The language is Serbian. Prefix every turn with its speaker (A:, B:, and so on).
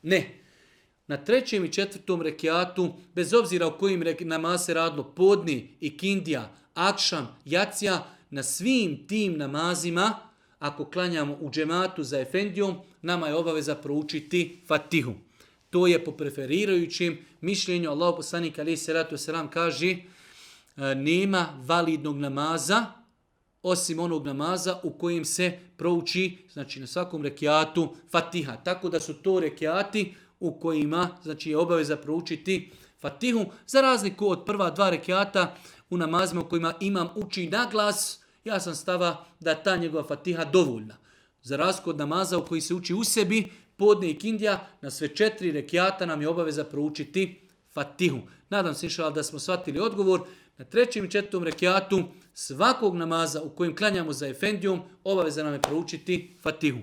A: Ne. Na 3. i 4. rekiatu, bez obzira o kojim namaz se radilo, podni, ikindija, akšam, jacija, na svim tim namazima, ako klanjamo u džematu za efendijom, nama je obaveza proučiti Fatihu. To je po preferirajućim mišljenju. Allahu poslanik alejhi selatu vesselam kaže nema validnog namaza osim onog namaza u kojem se prouči, znači na svakom rekiatu, Fatiha. Tako da su to rekiati u kojima znači je obaveza proučiti Fatihu, za razliku od prva 2 rekiata u namazima u kojima imam uči na glas, ja sam stava da ta njegova Fatiha dovoljna. Za razliku od namaza u koji se uči u sebi, podne i kindija, na sve 4 rekiata nam je obaveza proučiti Fatihu. Nadam se inšallah da smo shvatili odgovor. Na 3. i 4. rekiatu svakog namaza u kojem klanjamo za efendijom, obaveza nam je proučiti Fatihu.